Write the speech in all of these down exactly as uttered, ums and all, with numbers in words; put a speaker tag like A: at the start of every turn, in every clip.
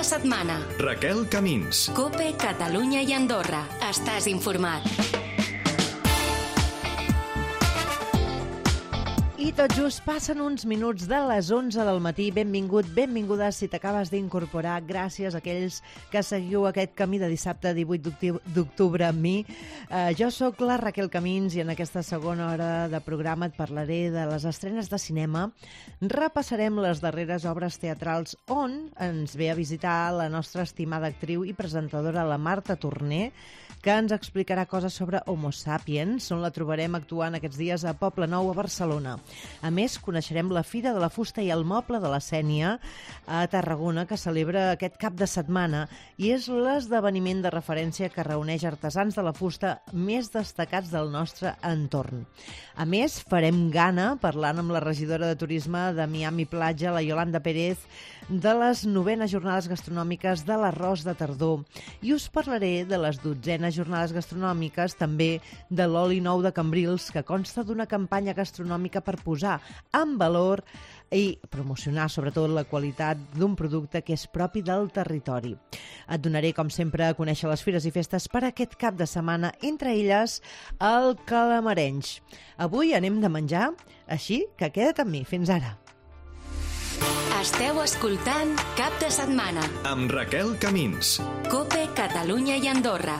A: de setmana.
B: Raquel Camins.
A: COPE, Catalunya i Andorra. Estàs informat.
C: I tot just passen uns minuts de les onze del matí. Benvingut, benvinguda si t'acabes d'incorporar. Gràcies a aquells que seguiu aquest camí de dissabte divuit d'octubre amb mi. Uh, jo sóc la Raquel Camins i en aquesta segona hora de programa et parlaré de les estrenes de cinema. Repassarem les darreres obres teatrals on ens ve a visitar la nostra estimada actriu i presentadora, la Marta Torner, que ens explicarà coses sobre Homo Sapiens, on la trobarem actuant aquests dies a Poble Nou, a Barcelona. A més, coneixerem la Fira de la Fusta i el Moble de la Sénia a Tarragona, que celebra aquest cap de setmana i és l'esdeveniment de referència que reuneix artesans de la fusta més destacats del nostre entorn. A més, farem gana parlant amb la regidora de Turisme de Miami Platja, la Yolanda Pérez, de les novenes jornades gastronòmiques de l'arròs de tardor. I us parlaré de les dotzenes jornades gastronòmiques, també de l'oli nou de Cambrils, que consta d'una campanya gastronòmica per posar en valor i promocionar sobretot la qualitat d'un producte que és propi del territori. Et donaré, com sempre, a conèixer les fires i festes per aquest cap de setmana, entre elles el Calamarenys. Avui anem de menjar, així que queda't amb mi. Fins ara.
A: Esteu escoltant Cap de Setmana
B: amb Raquel Camins.
A: COPE, Catalunya i Andorra.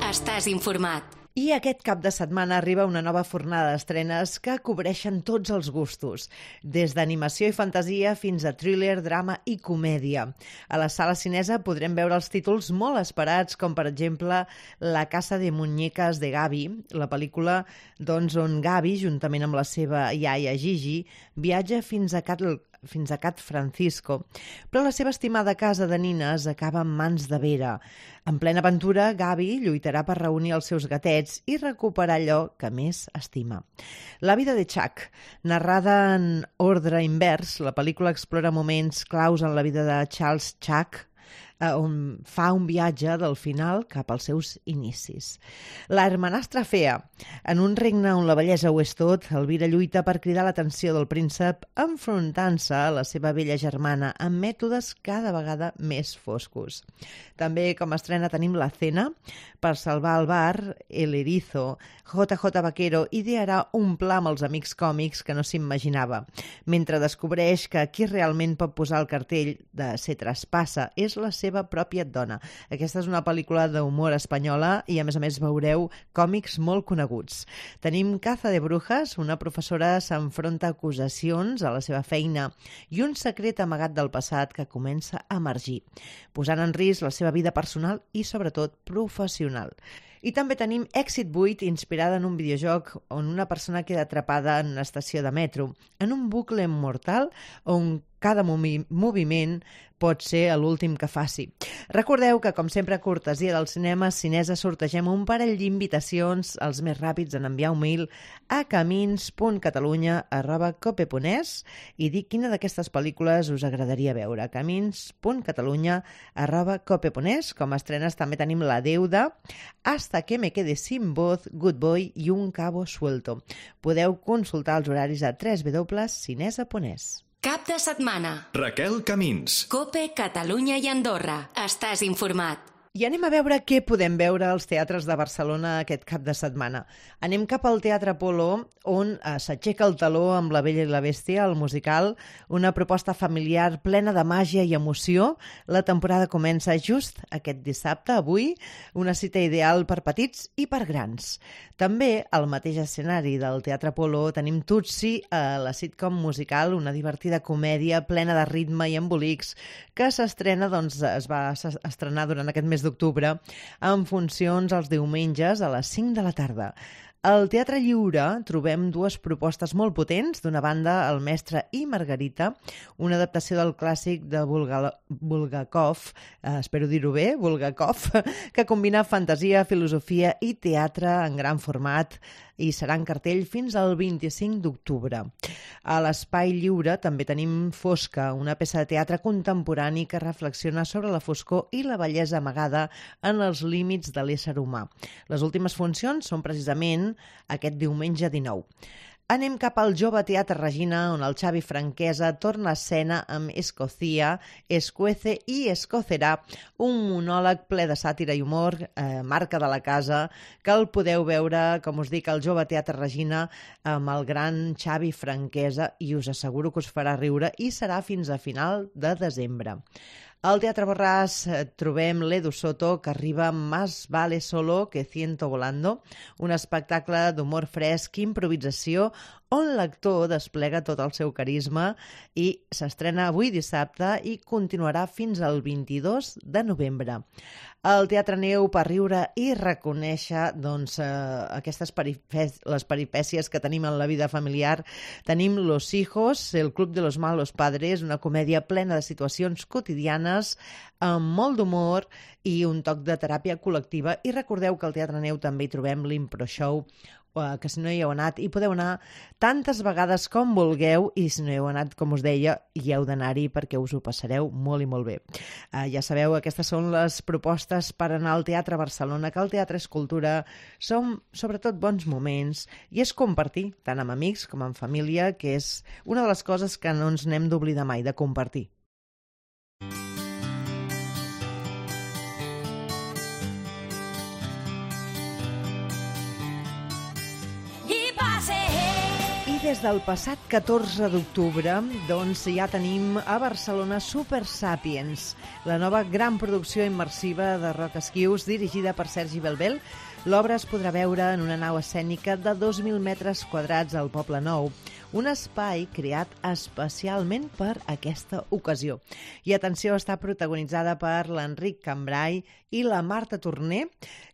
A: Estàs informat.
C: I aquest cap de setmana arriba una nova fornada d'estrenes que cobreixen tots els gustos, des d'animació i fantasia fins a thriller, drama i comèdia. A la sala cinesa podrem veure els títols molt esperats, com per exemple La casa de muñecas de Gabi, la pel·lícula doncs, on Gabi, juntament amb la seva iaia Gigi, viatja fins a Cat fins a Cat Francisco, però la seva estimada casa de nines acaba en mans de Vera. En plena aventura, Gabi lluitarà per reunir els seus gatets i recuperar allò que més estima. La vida de Chuck, narrada en ordre invers, la pel·lícula explora moments claus en la vida de Charles Chuck, on fa un viatge del final cap als seus inicis. La hermanastra fea. En un regne on la bellesa ho és tot, Elvira lluita per cridar l'atenció del príncep enfrontant-se a la seva vella germana amb mètodes cada vegada més foscos. També com a estrena tenim La cena. Per salvar el bar, El erizo, J J Vaquero idearà un pla amb els amics còmics que no s'imaginava, mentre descobreix que qui realment pot posar el cartell de Se traspassa és la seva pròpia dona. Aquesta és una pel·lícula d'humor espanyola i a més a més veureu còmics molt coneguts. Tenim Caza de brujas, una professora s'enfronta a acusacions a la seva feina i un secret amagat del passat que comença a emergir, posant en risc la seva vida personal i sobretot professional. I també tenim Èxit vuit, inspirada en un videojoc on una persona queda atrapada en una estació de metro, en un bucle immortal on cada movi- moviment pot ser l'últim que faci. Recordeu que, com sempre, a cortesia del cinema Cinesa sortegem un parell d'invitacions, els més ràpids en enviar un mail a camins punt catalunya arroba cope punt es i dir quina d'aquestes pel·lícules us agradaria veure. camins punt catalunya arroba cope punt es. Com a estrenes també tenim La deuda, Hasta que me quede sin voz, Good Boy i Un cabo suelto. Podeu consultar els horaris a w w w punt cinesa punt es.
A: Cap de setmana.
B: Raquel Camins.
A: COPE, Catalunya i Andorra. Estàs informat.
C: I anem a veure què podem veure als teatres de Barcelona aquest cap de setmana. Anem cap al Teatre Apol·lo, on eh, s'aixeca el taló amb La Bella i la Bèstia, el musical, una proposta familiar plena de màgia i emoció. La temporada comença just aquest dissabte, avui, una cita ideal per petits i per grans. També al mateix escenari del Teatre Apol·lo tenim Tutsi, eh, la sitcom musical, una divertida comèdia plena de ritme i embolics que s'estrena, doncs, es va estrenar durant aquest mes d'octubre amb funcions els diumenges a les cinc de la tarda. Al Teatre Lliure trobem dues propostes molt potents. D'una banda, El mestre i Margarita, una adaptació del clàssic de Bulgakov, eh, espero dir-ho bé, Bulgakov, que combina fantasia, filosofia i teatre en gran format i serà en cartell fins al vint-i-cinc d'octubre. A l'Espai Lliure també tenim Fosca, una peça de teatre contemporani que reflexiona sobre la foscor i la bellesa amagada en els límits de l'ésser humà. Les últimes funcions són precisament aquest diumenge dinou. Anem cap al Jove Teatre Regina, on el Xavi Franquesa torna a escena amb Escocía, Escuece i Escocerà, un monòleg ple de sàtira i humor, eh, marca de la casa, que el podeu veure, com us dic, al Jove Teatre Regina amb el gran Xavi Franquesa, i us asseguro que us farà riure, i serà fins a final de desembre. Al Teatre Borràs trobem l'Edu Soto, que arriba amb Más vale solo que ciento volando, un espectacle d'humor fresc i improvisació on l'actor desplega tot el seu carisma, i s'estrena avui dissabte i continuarà fins al vint-i-dos de novembre. El Teatre Neu, per riure i reconèixer doncs, eh, aquestes peripècies, les peripècies que tenim en la vida familiar, tenim Los Hijos, el Club de los Malos Padres, una comèdia plena de situacions quotidianes, amb molt d'humor i un toc de teràpia col·lectiva. I recordeu que al Teatre Neu també hi trobem l'Impro Show, que si no hi heu anat, hi podeu anar tantes vegades com vulgueu, i si no hi heu anat, com us deia, hi heu d'anar-hi perquè us ho passareu molt i molt bé. Uh, ja sabeu, aquestes són les propostes per anar al Teatre Barcelona, que el teatre és cultura, són sobretot bons moments, i és compartir, tant amb amics com amb família, que és una de les coses que no ens n'hem d'oblidar mai, de compartir. Des del passat catorze d'octubre, doncs ja tenim a Barcelona Super Sapiens, la nova gran producció immersiva de Roc Esquius, dirigida per Sergi Belbel. L'obra es podrà veure en una nau escènica de dos mil metres quadrats al Poble Nou, un espai creat especialment per aquesta ocasió. I atenció, està protagonitzada per l'Enric Cambrai i la Marta Torner,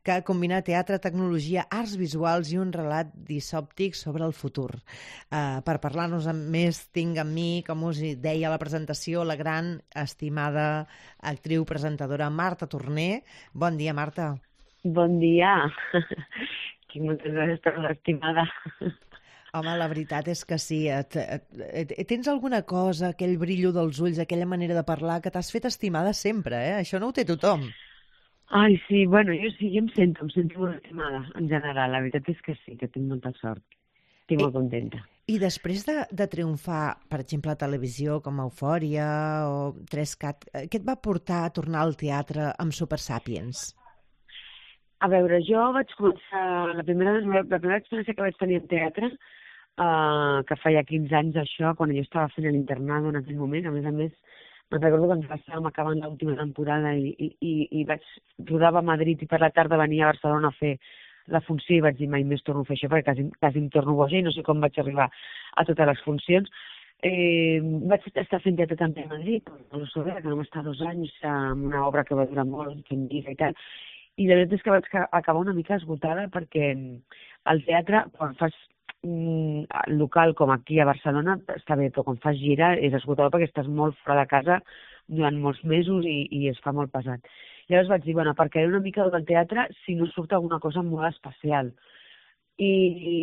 C: que combina teatre, tecnologia, arts visuals i un relat disòptic sobre el futur. Uh, per parlar-nos més, tinc amb mi, com us deia a la presentació, la gran, estimada actriu presentadora Marta Torner. Bon dia, Marta.
D: Bon dia. Moltes gràcies per l'estimada.
C: Home, la veritat és que sí. Et, et, et, tens alguna cosa, aquell brillo dels ulls, aquella manera de parlar, que t'has fet estimada sempre, eh? Això no ho té tothom.
D: Ai, sí, bueno, jo sí, jo em sento, em sento molt estimada, en general. La veritat és que sí, que tinc molta sort. Estic molt contenta.
C: I després de, de triomfar, per exemple, a televisió, com Eufòria o tres cat, què et va portar a tornar al teatre amb Super Sapiens?
D: A veure, jo vaig començar, la primera, la primera experiència que vaig tenir en teatre, uh, que feia quinze anys això, quan jo estava fent l'internat en aquell moment, a més a més, me'n recordo que ens estàvem acabant l'última temporada i, i, i, i vaig rodava a Madrid i per la tarda venia a Barcelona a fer la funció i vaig dir mai més torno a fer això perquè quasi, quasi em torno boja i no sé com vaig arribar a totes les funcions. Eh, vaig estar fent teatre també a Madrid, no sé, que vam estar dos anys amb una obra que va durar molt, fent vida i tal, i la veritat és que vaig acabar una mica esgotada perquè el teatre, quan fas mm, local com aquí a Barcelona, està bé, però quan fas gira és esgotador perquè estàs molt fora de casa durant molts mesos i, i es fa molt pesat. Llavors vaig dir, bueno, perquè una mica del teatre si no surt alguna cosa molt especial. I, i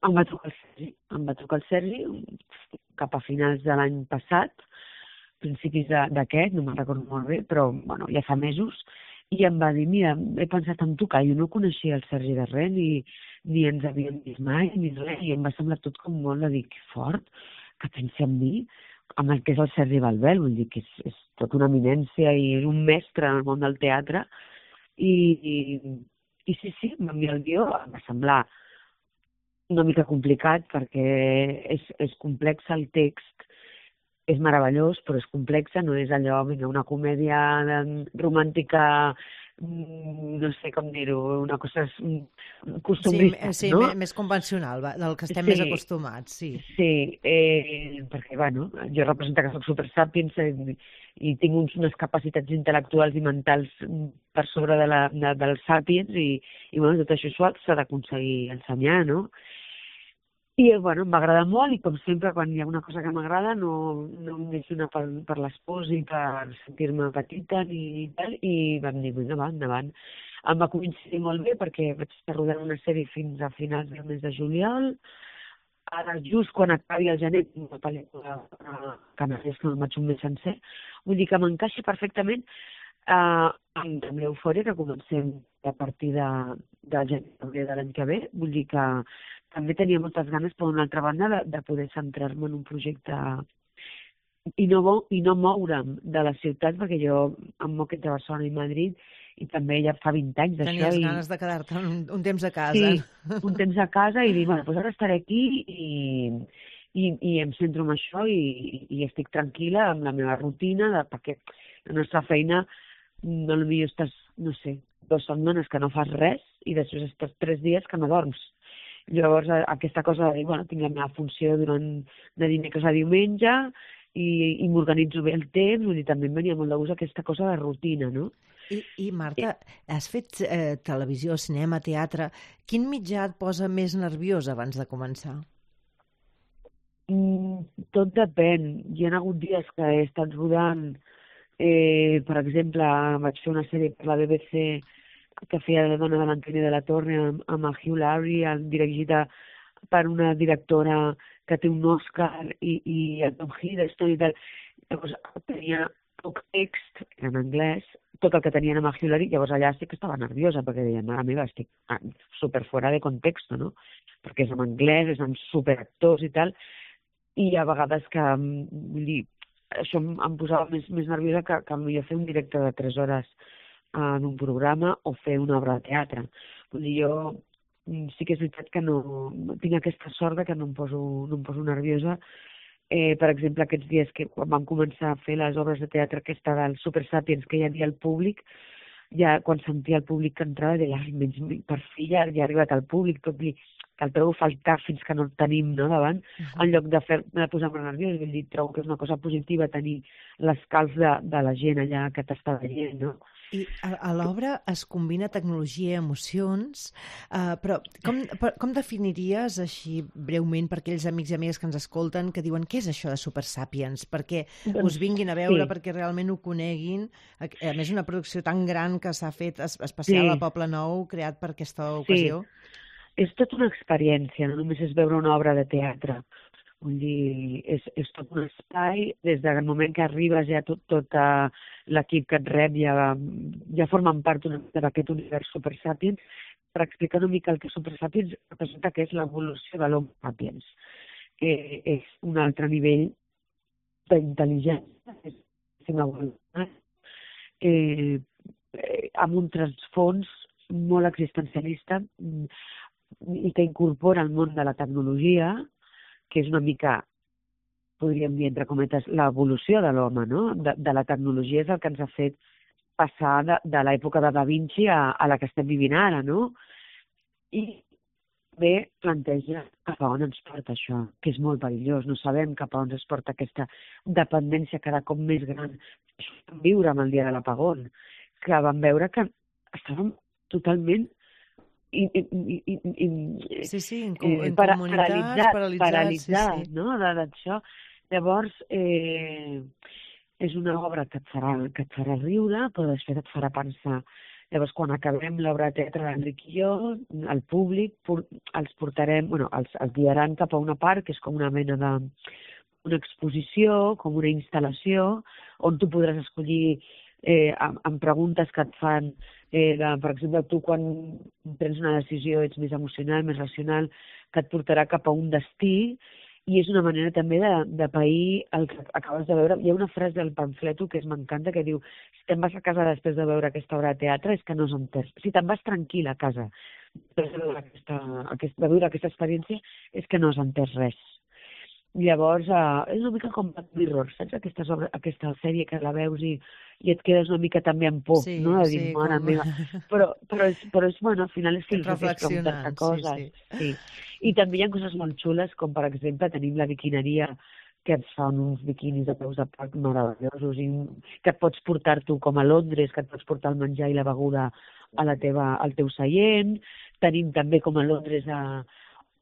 D: em va trucar el Sergi, em va trucar el Sergi cap a finals de l'any passat, principis d'aquest, no me'n recordo molt bé, però bueno, ja fa mesos, i em va dir, mira, he pensat en tu, que jo no coneixia el Sergi de res, ni, ni ens havíem vist mai, ni res, i em va semblar tot com molt de dir, que fort, que pensi en mi, amb el que és el Sergi Belbel, vull dir que és, és tot una eminència i és un mestre en el món del teatre, i, i, i sí, sí, em va enviar el guió, em va semblar una mica complicat perquè és, és complex el text, és meravellós, però és complexa, no és allò, vinga, una comèdia romàntica, no sé com dir-ho, una cosa costumista,
C: sí, sí,
D: no?
C: Sí, més convencional, del que estem
D: sí,
C: més acostumats, sí.
D: Sí, eh, perquè, bueno, jo represento que soc super sapiens eh, i tinc uns, unes capacitats intel·lectuals i mentals per sobre de la, de, dels sapiens i, i bueno, tot això s'ha d'aconseguir ensenyar, no? I, bueno, m'agrada molt i, com sempre, quan hi ha una cosa que m'agrada, no, no em deixo anar per, per les pors i per sentir-me petita ni tal, i vam dir, vinga, va, endavant. Em va coincidir molt bé perquè vaig estar rodant una sèrie fins a finals del mes de juliol. Ara, just quan acabi el gener, una pel·lícula uh, que m'hagués que no vaig un mes sencer, vull dir que m'encaixa perfectament uh, amb, amb l'Eufòria, que comencem a partir de, de gener de l'any que ve. Vull dir que també tenia moltes ganes, per una altra banda, de, de poder centrar-me en un projecte i no, i no moure'm de la ciutat, perquè jo em moc entre Barcelona i Madrid, i també ja fa vint anys d'això.
C: Tenies
D: i...
C: ganes de quedar-te un, un temps a casa.
D: Sí, un temps a casa i dir, bueno, doncs ara estaré aquí i, i, i em centro en això i, i estic tranquil·la amb la meva rutina, de, perquè la nostra feina, no potser estàs, no sé, dues setmanes que no fas res i després estàs tres dies que no dorms. Llavors, aquesta cosa de dir, bueno, tinc la meva funció durant de dimecres a diumenge i, i m'organitzo bé el temps, vull dir, també em venia molt de gust aquesta cosa de rutina, no?
C: I, i Marta, has fet eh, televisió, cinema, teatre. Quin mitjà et posa més nerviós abans de començar?
D: Mm, tot depèn. Hi ha hagut dies que he estat rodant, eh, per exemple, vaig fer una sèrie per la B B C que feia la dona de l'Antonio de la Torre amb, amb el Hugh Laurie, dirigida per una directora que té un Oscar i, i el Tom Hiddleston i tal. Llavors tenia poc text en anglès, tot el que tenien amb el Hugh Laurie, llavors allà sí que estava nerviosa, perquè deia, mare meva, estic super fora de context, no? Perquè és en anglès, és amb superactors i tal, i hi ha vegades que, vull dir, això em, em posava més, més nerviosa que, que potser fer un directe de tres hores en un programa o fer una obra de teatre. Vull dir, jo sí que és veritat que no tinc aquesta sort que no em poso, no em poso nerviosa. Eh, per exemple, aquests dies que quan vam començar a fer les obres de teatre aquesta del Super Sapiens, que hi havia al públic, ja quan sentia el públic que entrava, deia, menys, per fi ja, ja ha arribat al públic, tot li, que el trobo faltar fins que no el tenim, no, davant, uh-huh. En lloc de fer-me posar-me nerviós, vull dir, trobo que és una cosa positiva tenir l'escalf de, de la gent allà que t'està veient, no?
C: I a, a l'obra es combina tecnologia i emocions, uh, però com, per, com definiries així breument per aquells amics i amigues que ens escolten que diuen què és això de Super Sapiens? Perquè
D: doncs,
C: us vinguin a veure,
D: sí.
C: Perquè realment ho coneguin. A, a més, una producció tan gran que s'ha fet especial
D: sí.
C: a Poble Nou, creat per aquesta ocasió.
D: Sí. És tota una experiència, no només és veure una obra de teatre. Vull dir, és, és tot un espai, des del moment que arribes ja tot, tot uh, l'equip que et rep ja, ja formen part d'aquest univers Super Sapiens, per explicar una mica el que Super Sapiens representa que és l'evolució de l'Homo Sapiens, que és un altre nivell d'intel·ligència, és una evolució, eh, amb un transfons molt existencialista i que incorpora el món de la tecnologia, que és una mica, podríem dir, entre cometes, l'evolució de l'home, no? De, de la tecnologia és el que ens ha fet passar de, de l'època de Da Vinci a, a la que estem vivint ara, no? I bé planteja cap a on ens porta això, que és molt perillós. No sabem cap a on ens porta aquesta dependència cada cop més gran. Això vam viure amb el dia de l'apagón, que vam veure que estàvem totalment I, i, i, i,
C: sí, sí, en,
D: eh,
C: en
D: para,
C: comunitats,
D: paralitzat,
C: paralitzat,
D: paralitzat
C: sí, sí.
D: No? D'això. Llavors, eh, és una obra que et, farà, que et farà riure, però després et farà pensar. Llavors, quan acabem l'obra de teatre d'Enric i jo, el públic por, els portarem, bueno, els, els guiaran cap a una part, que és com una mena de una exposició, com una instal·lació, on tu podràs escollir eh, amb, amb preguntes que et fan. Eh, de, per exemple, tu quan prens una decisió ets més emocional, més racional, que et portarà cap a un destí, i és una manera també de, de pair el que acabes de veure. Hi ha una frase del pamfleto que m'encanta, que diu, si te'n vas a casa després de veure aquesta obra de teatre és que no has entès. Si te'n vas tranquil a casa després de veure aquesta, aquesta, de veure aquesta experiència és que no has entès res. Llavors, uh, és una mica com Black Mirror, saps? Aquesta, sobre, aquesta sèrie que la veus i, i et quedes una mica també en por,
C: sí,
D: no? De dir,
C: sí,
D: mare
C: com...
D: meva. Però, però, és, però és, bueno, al final és filosofia,
C: reflexionant,
D: coses.
C: Sí, sí.
D: Sí. I també hi ha coses molt xules, com per exemple tenim la biquineria, que et fan uns biquinis de peus de porc meravellosos, i que et pots portar tu com a Londres, que et pots portar el menjar i la beguda a la teva, al teu seient. Tenim també com a Londres a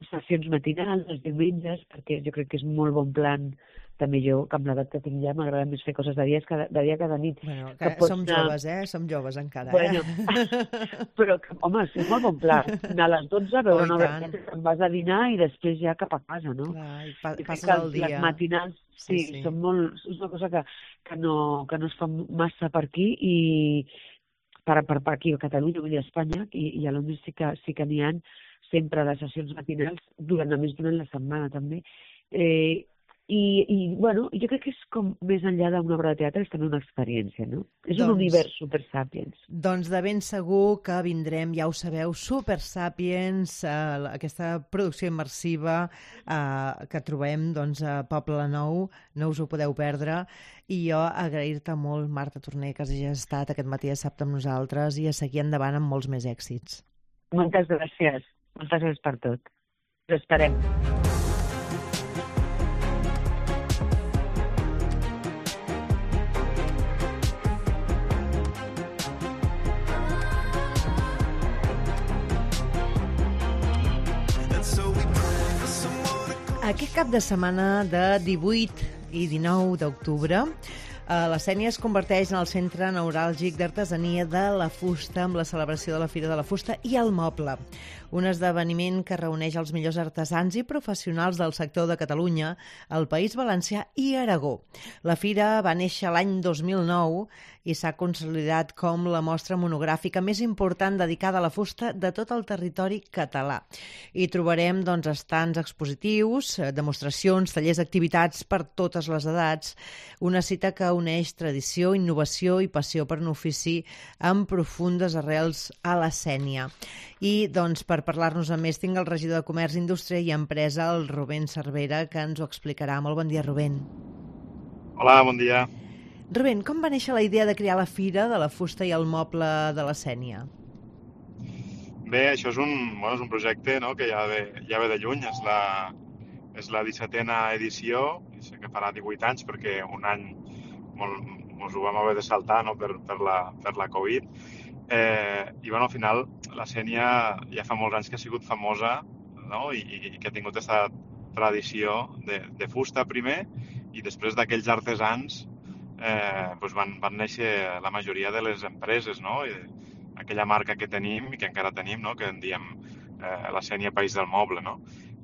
D: sessions matinals, els diumenges, perquè jo crec que és molt bon plan, també jo, que amb l'edat que tinc ja, m'agrada més fer coses de dia que de, dia que de nit.
C: Bueno, que, que som anar... joves, eh? Som joves encara,
D: bueno,
C: eh?
D: Però, home, és molt bon plan. Anar a les dotze a veure oh, una hora, te'n vas a dinar i després ja cap a casa, no?
C: Clar, i pa
D: I
C: passes el dia.
D: Les matinals, sí, sí, sí. Són molt, és una cosa que, que, no, que no es fa massa per aquí i per, per, per aquí a Catalunya, vull dir a Espanya, i, i a Londres sí que, sí que n'hi ha. sempre de sessions matinals, durant, a més durant la setmana també. Eh, i, i, bueno, jo crec que és com més enllà d'una obra de teatre, és també una experiència, no? És
C: Doncs-
D: un univers Super Sapiens.
C: Doncs de ben segur que vindrem, ja ho sabeu, Super Sapiens, eh, aquesta producció immersiva eh, que trobem doncs, a Poble Nou, no us ho podeu perdre. I jo agrair-te molt, Marta Torner, que hagis estat aquest matí a Dissabte amb nosaltres i a seguir endavant amb molts més èxits.
D: Moltes gràcies. Moltes gràcies per tot. Us esperem.
C: Aquest cap de setmana de divuit i dinou d'octubre, eh, la Sénia es converteix en el centre neuràlgic d'artesania de la fusta amb la celebració de la Fira de la Fusta i el Moble, un esdeveniment que reuneix els millors artesans i professionals del sector de Catalunya, el País Valencià i Aragó. La Fira va néixer l'any dos mil nou i s'ha consolidat com la mostra monogràfica més important dedicada a la fusta de tot el territori català. Hi trobarem doncs, estants expositius, demostracions, tallers, activitats per totes les edats, una cita que uneix tradició, innovació i passió per un ofici amb profundes arrels a la Sénia. I doncs, per parlar-nos a més tinc el regidor de Comerç, Indústria i Empresa, el Rubén Cervera, que ens ho explicarà. Molt bon dia, Rubén.
E: Hola, bon dia.
C: Rubén, com va néixer la idea de crear la Fira de la Fusta i el Moble de la Sénia?
E: Bé, això és un, bueno, és un projecte, no?, que ja ve, ja ve de lluny. És la, és la dissetena edició, i sé que farà divuit anys perquè un any molt, mos ho vam haver de saltar, no?, per, per, la, per la Covid. Eh, I bueno, al final la Sénia ja fa molts anys que ha sigut famosa, no?, i, i que ha tingut aquesta tradició de, de fusta primer, i després d'aquells artesans eh, doncs van, van néixer la majoria de les empreses, no?, i aquella marca que tenim i que encara tenim, no?, que en diem eh, la Sénia País del Moble, no?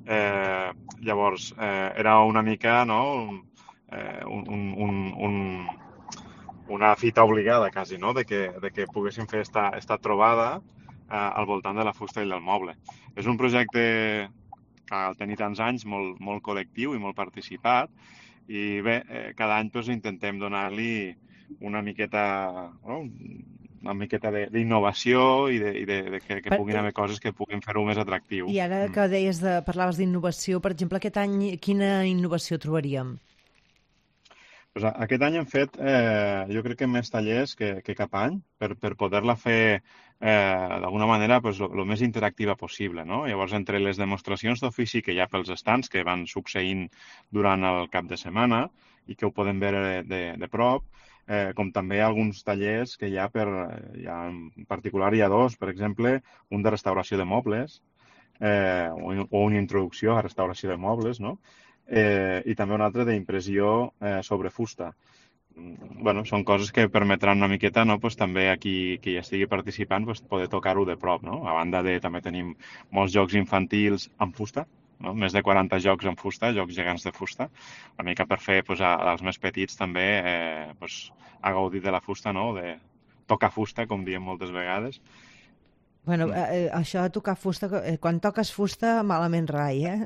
E: Eh, llavors, eh, era una mica, no?, un, eh, un, un, un, una fita obligada, quasi, no?, de que, de que poguéssim fer esta, esta trobada eh, al voltant de la fusta i del moble. És un projecte que al tenir tants anys, molt, molt col·lectiu i molt participat, i bé, eh, cada any doncs, intentem donar-li una miqueta, no?, una miqueta d'innovació i, de, i de, de que, que puguin haver coses que puguin fer-ho més atractiu.
C: I ara que deies de, parlaves d'innovació, per exemple, aquest any quina innovació trobaríem?
E: Pues aquest any hem fet, eh, jo crec que més tallers que, que cap any, per, per poder-la fer eh, d'alguna manera pues, lo, lo més interactiva possible, no? Llavors, entre les demostracions d'ofici que hi ha pels estants, que van succeint durant el cap de setmana i que ho podem veure de, de prop, eh, com també alguns tallers que hi ha, per, hi ha, en particular hi ha dos, per exemple, un de restauració de mobles, eh, o, o una introducció a restauració de mobles, no? Eh, i també un altre d'impressió eh, sobre fusta. Bueno, són coses que permetran una miqueta, no?, pues, també a qui, qui hi estigui participant pues, poder tocar-ho de prop, no? A banda de també tenim molts jocs infantils amb fusta, no? Més de quaranta jocs amb fusta, jocs gegants de fusta, una mica per fer pues, als més petits també eh, pues, a gaudir de la fusta, no?, de tocar fusta, com diem moltes vegades.
C: Bueno, eh, això de tocar fusta, eh, quan toques fusta, malament rai, eh?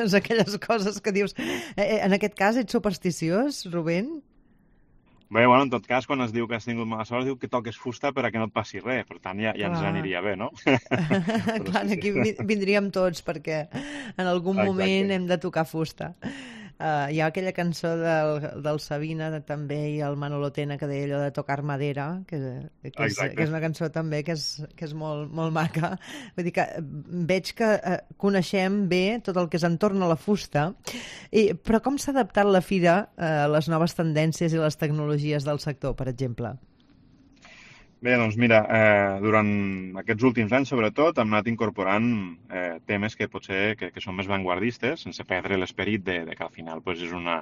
C: És aquelles coses que dius... Eh, en aquest cas, ets supersticiós, Rubén?
E: Bé, bueno, en tot cas, quan es diu que has tingut mala sort, es diu que toques fusta per a que no et passi res. Per tant, ja, ja ens aniria bé, no?
C: Clar,
E: sí, sí.
C: aquí vindríem tots, perquè en algun
E: Exacte.
C: moment hem de tocar fusta. Uh, hi ha aquella cançó del, del Sabina també i el Manolo Tena que deia allò de tocar madera, que, que, és, que és una cançó també que és, que és molt, molt maca. Vull dir que veig que uh, coneixem bé tot el que és entorn a la fusta, i, però com s'ha adaptat la Fira uh, a les noves tendències i les tecnologies del sector, per exemple?
E: Bé, doncs mira, eh, durant aquests últims anys, sobretot, hem anat incorporant eh, temes que potser que, que són més vanguardistes, sense perdre l'esperit de, de que al final pues, és, una,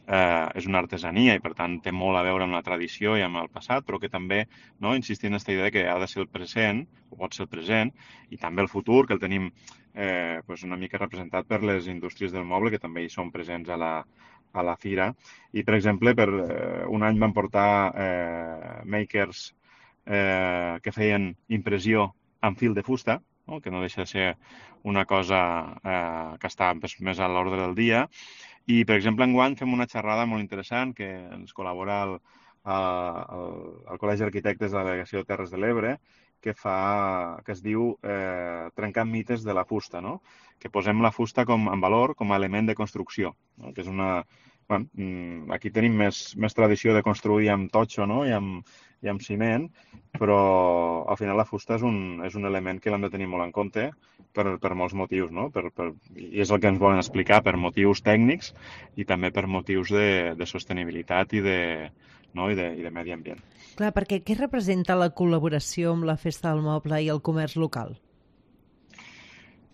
E: eh, és una artesania i, per tant, té molt a veure amb la tradició i amb el passat, però que també, no, insistir en aquesta idea que ha de ser el present, o pot ser el present, i també el futur, que el tenim eh, pues, una mica representat per les indústries del moble, que també hi són presents a la, a la Fira. I, per exemple, per eh, un any van portar eh, makers Eh, que feien impressió amb fil de fusta, no? Que no deixa de ser una cosa eh, que està més, més a l'ordre del dia. I, per exemple, enguany fem una xerrada molt interessant que ens col·labora el, el, el Col·legi d'Arquitectes de la Delegació de Terres de l'Ebre, que, fa, que es diu eh, Trencant mites de la fusta, no? Que posem la fusta com, en valor com a element de construcció, no? Que és una... Bueno, aquí tenim més, més tradició de construir amb totxo, no? I amb, i amb ciment, però al final la fusta és un, és un element que l'hem de tenir molt en compte per, per molts motius, no? Per, per, i és el que ens volen explicar, per motius tècnics i també per motius de, de sostenibilitat i de, no? I de, i de medi ambient.
C: Clar, perquè què representa la col·laboració amb la Festa del Moble i el comerç local?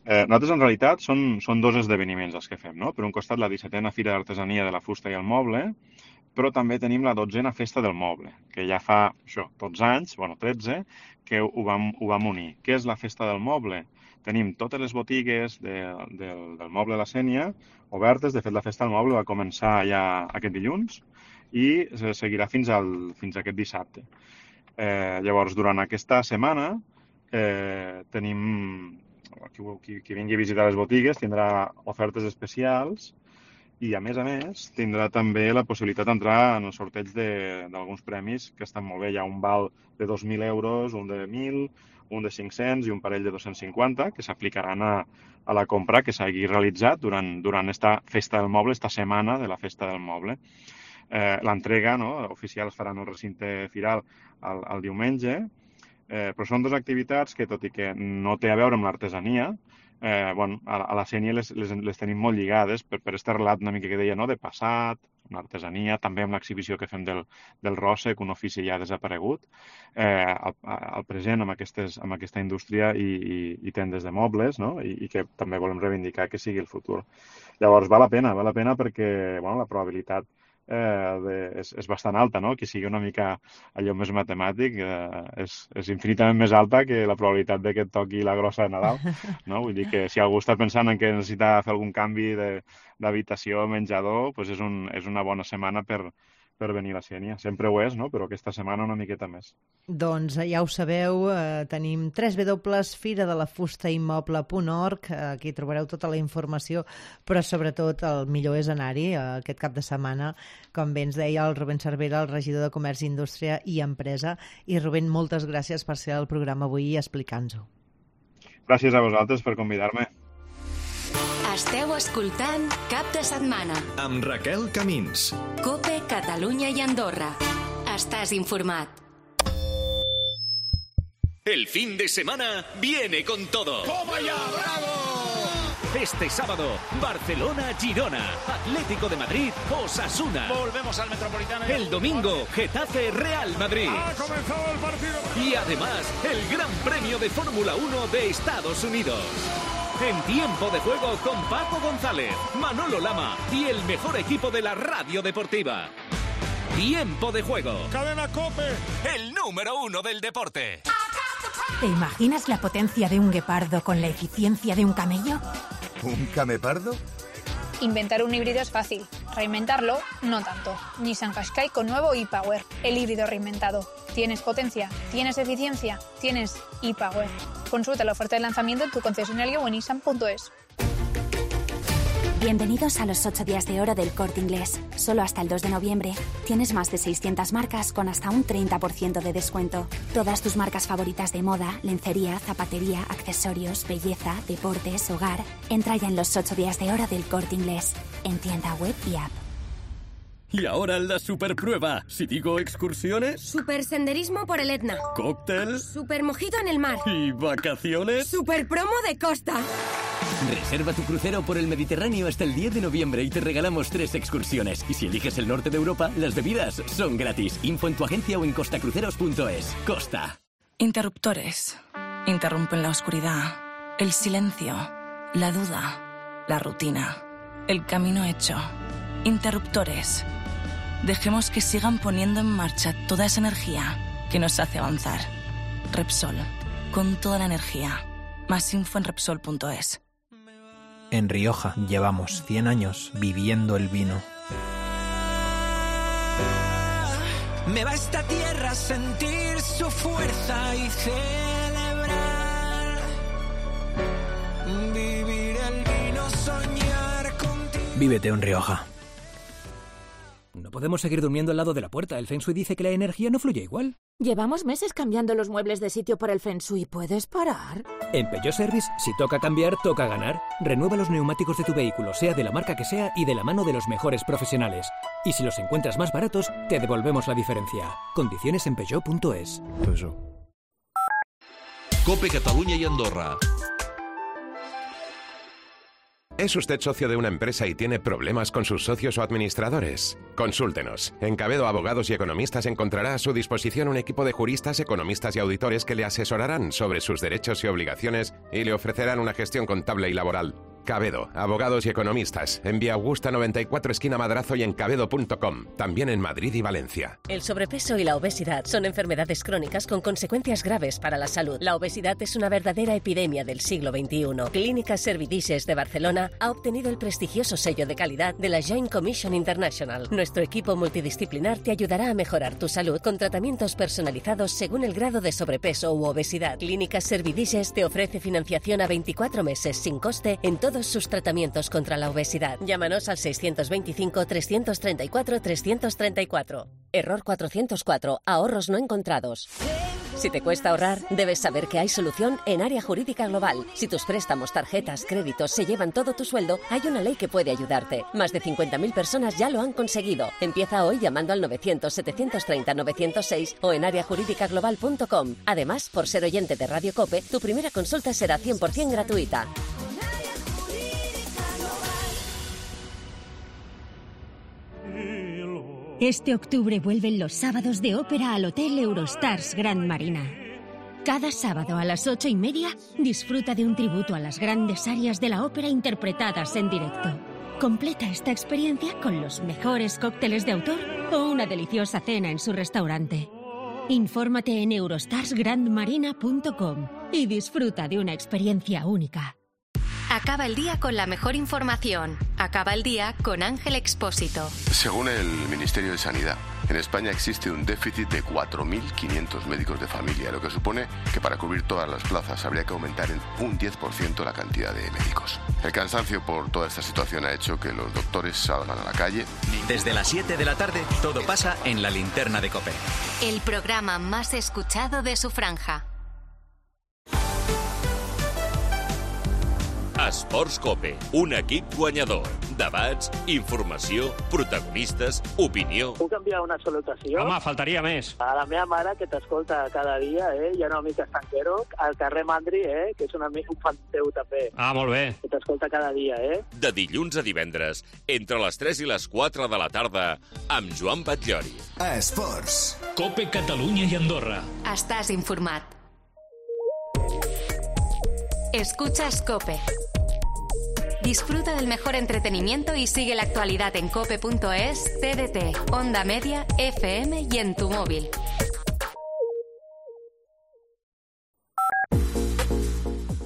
E: Eh, nosaltres, en realitat, són, són dos esdeveniments els que fem, no? Per un costat, la dissetena Fira d'Artesania de la Fusta i el Moble, però també tenim la dotzena Festa del Moble, que ja fa, això, dotze anys, bueno, tretze, que ho vam, ho vam unir. Què és la Festa del Moble? Tenim totes les botigues de, de, del Moble de la Sénia obertes. De fet, la Festa del Moble va començar ja aquest dilluns i seguirà fins, al, fins a aquest dissabte. Eh, llavors, durant aquesta setmana eh, tenim... Qui, qui, qui vingui a visitar les botigues tindrà ofertes especials i, a més a més, tindrà també la possibilitat d'entrar en el sorteig d'alguns premis que estan molt bé. Hi ha un val de dos mil euros, un de mil, un de cinc-cents i un parell de dos-cents cinquanta que s'aplicaran a, a la compra que s'hagi realitzat durant, durant esta Festa del Moble, esta setmana de la Festa del Moble. Eh, L'entrega, no, oficial es farà en el recinte firal el, el diumenge. Eh, però són dues activitats que, tot i que no té a veure amb l'artesania, eh, bueno, a, a la Sénia les, les, les tenim molt lligades per, per este relat una mica que deia, no?, de passat, amb l'artesania, també amb l'exhibició que fem del, del Ròssec, un ofici ja desaparegut, eh, al, al present amb, aquestes, amb aquesta indústria i, i, i tendes de mobles, no?, I, i que també volem reivindicar que sigui el futur. Llavors, val la pena, val la pena perquè, bueno, la probabilitat Eh, de, és, és bastant alta, no? Que sigui una mica allò més matemàtic, eh, és, és infinitament més alta que la probabilitat de que et toqui la grossa de Nadal, no? Vull dir que si algú està pensant en que necessita fer algun canvi d'habitació, menjador, doncs és, un, és una bona setmana per, per venir a la Sénia. Sempre ho és, no? Però aquesta setmana una miqueta més.
C: Doncs ja ho sabeu, eh, tenim w w w punt fira de la fusta i moble punt org, eh, aquí trobareu tota la informació, però sobretot el millor és anar-hi eh, aquest cap de setmana, com bé ens deia el Rubén Cervera, el regidor de Comerç, Indústria i Empresa. I Rubén, moltes gràcies per ser al programa avui i explicar-nos-ho.
E: Gràcies a vosaltres per convidar-me.
A: Esteu escoltant Cap de Setmana
B: amb Raquel Camins.
A: COPE Catalunya i Andorra. Estàs informat.
F: El fin de semana viene con todo.
G: ¡Toma ya, bravo!
F: Este sábado, Barcelona-Girona, Atlético de Madrid, Osasuna.
G: Volvemos al Metropolitano.
F: El domingo, Getafe-Real Madrid.
G: Ha comenzado el partido.
F: Y además, el Gran Premio de Fórmula uno de Estados Unidos. En Tiempo de Juego con Paco González, Manolo Lama y el mejor equipo de la radio deportiva. Tiempo de Juego.
G: Cadena COPE.
F: El número uno del deporte.
H: ¿Te imaginas la potencia de un guepardo con la eficiencia de un camello?
I: ¿Un camepardo?
J: Inventar un híbrido es fácil, reinventarlo no tanto. Nissan Qashqai con nuevo e-Power, el híbrido reinventado. ¿Tienes potencia? ¿Tienes eficiencia? ¿Tienes e-Power? Consulta la oferta de lanzamiento en tu concesionario o en nissan punto es.
K: Bienvenidos a los ocho días de oro del Corte Inglés. Solo hasta el dos de noviembre tienes más de seiscientas marcas con hasta un treinta por ciento de descuento. Todas tus marcas favoritas de moda, lencería, zapatería, accesorios, belleza, deportes, hogar. Entra ya en los ocho días de oro del Corte Inglés, en tienda web y app.
L: Y ahora la superprueba. Si digo excursiones...
M: Supersenderismo por el Etna.
L: Cóctel.
M: Supermojito en el mar.
L: ¿Y vacaciones?
M: Superpromo de costa.
N: Reserva tu crucero por el Mediterráneo hasta el diez de noviembre y te regalamos tres excursiones. Y si eliges el norte de Europa, las bebidas son gratis. Info en tu agencia o en costacruceros punto es. Costa.
O: Interruptores. Interrumpen la oscuridad, el silencio, la duda, la rutina, el camino hecho. Interruptores. Dejemos que sigan poniendo en marcha toda esa energía que nos hace avanzar. Repsol. Con toda la energía. Más info en repsol punto es.
P: En Rioja llevamos cien años viviendo el vino.
Q: Me va esta tierra a sentir su fuerza y celebrar
P: Vívete un Rioja.
R: No podemos seguir durmiendo al lado de la puerta. El Feng Shui dice que la energía no fluye igual.
H: Llevamos meses cambiando los muebles de sitio por el Feng Shui. ¿Puedes parar?
R: En Peugeot Service, si toca cambiar, toca ganar. Renueva los neumáticos de tu vehículo, sea de la marca que sea y de la mano de los mejores profesionales. Y si los encuentras más baratos, te devolvemos la diferencia. Condiciones en peugeot punto es.
P: Peugeot.
B: COPE Cataluña y Andorra.
S: ¿Es usted socio de una empresa y tiene problemas con sus socios o administradores? Consúltenos. En Cabedo Abogados y Economistas encontrará a su disposición un equipo de juristas, economistas y auditores que le asesorarán sobre sus derechos y obligaciones y le ofrecerán una gestión contable y laboral. Cabedo, Abogados y Economistas, en Vía Augusta noventa y cuatro, esquina Madrazo y en cabedo punto com, también en Madrid y Valencia.
T: El sobrepeso y la obesidad son enfermedades crónicas con consecuencias graves para la salud. La obesidad es una verdadera epidemia del siglo veintiuno. Clínica Servidices de Barcelona ha obtenido el prestigioso sello de calidad de la Joint Commission International. Nuestro equipo multidisciplinar te ayudará a mejorar tu salud con tratamientos personalizados según el grado de sobrepeso u obesidad. Clínica Servidices te ofrece financiación a veinticuatro meses sin coste en todo todos sus tratamientos contra la obesidad. Llámanos al seiscientos veinticinco, trescientos treinta y cuatro, trescientos treinta y cuatro. Error cuatrocientos cuatro. Ahorros no encontrados. Si te cuesta ahorrar, debes saber que hay solución en Área Jurídica Global. Si tus préstamos, tarjetas, créditos se llevan todo tu sueldo, hay una ley que puede ayudarte. Más de cincuenta mil personas ya lo han conseguido. Empieza hoy llamando al novecientos, setecientos treinta, novecientos seis o en área jurídica global punto com. Además, por ser oyente de Radio COPE, tu primera consulta será cien por ciento gratuita.
U: Este octubre vuelven los sábados de ópera al Hotel Eurostars Grand Marina. Cada sábado a las ocho y media disfruta de un tributo a las grandes arias de la ópera interpretadas en directo. Completa esta experiencia con los mejores cócteles de autor o una deliciosa cena en su restaurante. Infórmate en eurostars grand marina punto com y disfruta de una experiencia única.
A: Acaba el día con la mejor información. Acaba el día con Ángel Expósito.
V: Según el Ministerio de Sanidad, en España existe un déficit de cuatro mil quinientos médicos de familia, lo que supone que para cubrir todas las plazas habría que aumentar en un diez por ciento la cantidad de médicos. El cansancio por toda esta situación ha hecho que los doctores salgan a la calle.
W: Desde las siete de la tarde, todo pasa en La Linterna de COPE.
A: El programa más escuchado de su franja.
F: Esports COPE, un equip guanyador. Debats, informació, protagonistes, opinió.
X: Puc enviar una salutació?
G: Home, faltaria més.
X: A la meva mare, que t'escolta cada dia, eh? I a una mica estanquero, al carrer Mandri, eh? Que és un amic, un fan teu també.
G: Ah, molt bé.
X: Que t'escolta cada dia, eh?
F: De dilluns a divendres, entre les tres i les quatre de la tarda, amb Joan Batllori.
I: Esports.
B: COPE Catalunya i Andorra.
A: Estàs informat. Escuchas COPE. Disfruta del mejor entretenimiento y sigue la actualidad en cope punto es, T D T, Onda Media, F M y en tu móvil.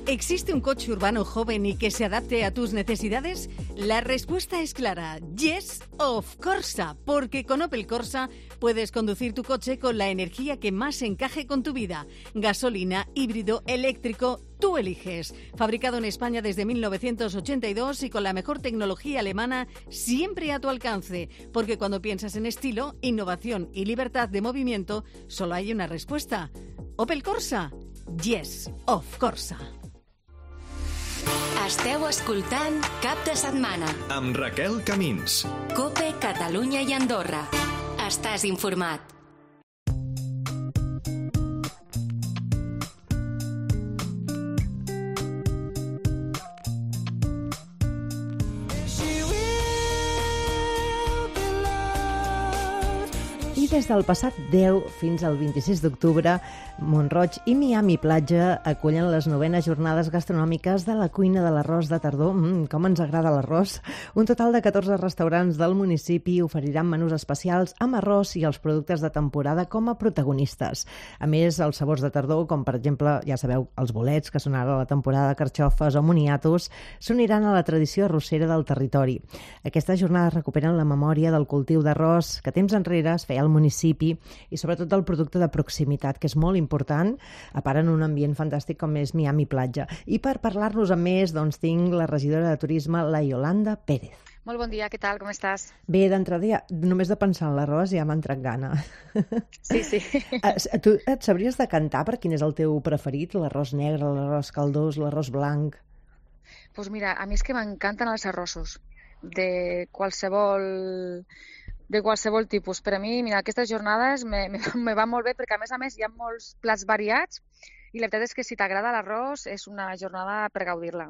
Y: ¿Existe un coche urbano joven y que se adapte a tus necesidades? La respuesta es clara. Yes, of Corsa. Porque con Opel Corsa puedes conducir tu coche con la energía que más encaje con tu vida. Gasolina, híbrido, eléctrico, tú eliges. Fabricado en España desde mil novecientos ochenta y dos y con la mejor tecnología alemana siempre a tu alcance. Porque cuando piensas en estilo, innovación y libertad de movimiento, solo hay una respuesta. Opel Corsa. Yes, of Corsa.
A: Esteu escoltant Cap de Setmana.
B: Amb Raquel Camins.
A: COPE Catalunya i Andorra. Estàs informat.
C: I des del passat deu fins al vint-i-sis d'octubre, Mont-roig i Miami Platja acullen les novenes jornades gastronòmiques de la cuina de l'arròs de tardor. Mm, com ens agrada l'arròs! Un total de catorze restaurants del municipi oferiran menús especials amb arròs i els productes de temporada com a protagonistes. A més, els sabors de tardor, com per exemple, ja sabeu, els bolets, que són ara la temporada de carxofes o moniatos, s'uniran a la tradició arrossera del territori. Aquestes jornades recuperen la memòria del cultiu d'arròs que temps enrere es feia al municipi i sobretot el producte de proximitat, que és molt important, a part en un ambient fantàstic com és Miami Platja. I per parlar-nos amb més, doncs tinc la regidora de Turisme, la Iolanda Pérez.
D: Molt bon dia, què tal? Com estàs?
C: Bé, d'entrada, ja, només de pensar en l'arròs ja m'ha entrat gana.
D: Sí, sí.
C: Tu et sabries decantar per quin és el teu preferit? L'arròs negre, l'arròs caldós, l'arròs blanc?
D: Doncs pues mira, a mi és que m'encanten els arrossos, de qualsevol, de qualsevol tipus. Per a mi, mira, aquestes jornades me, me, me van molt bé perquè, a més a més, hi ha molts plats variats i la veritat és que si t'agrada l'arròs és una jornada per gaudir-la.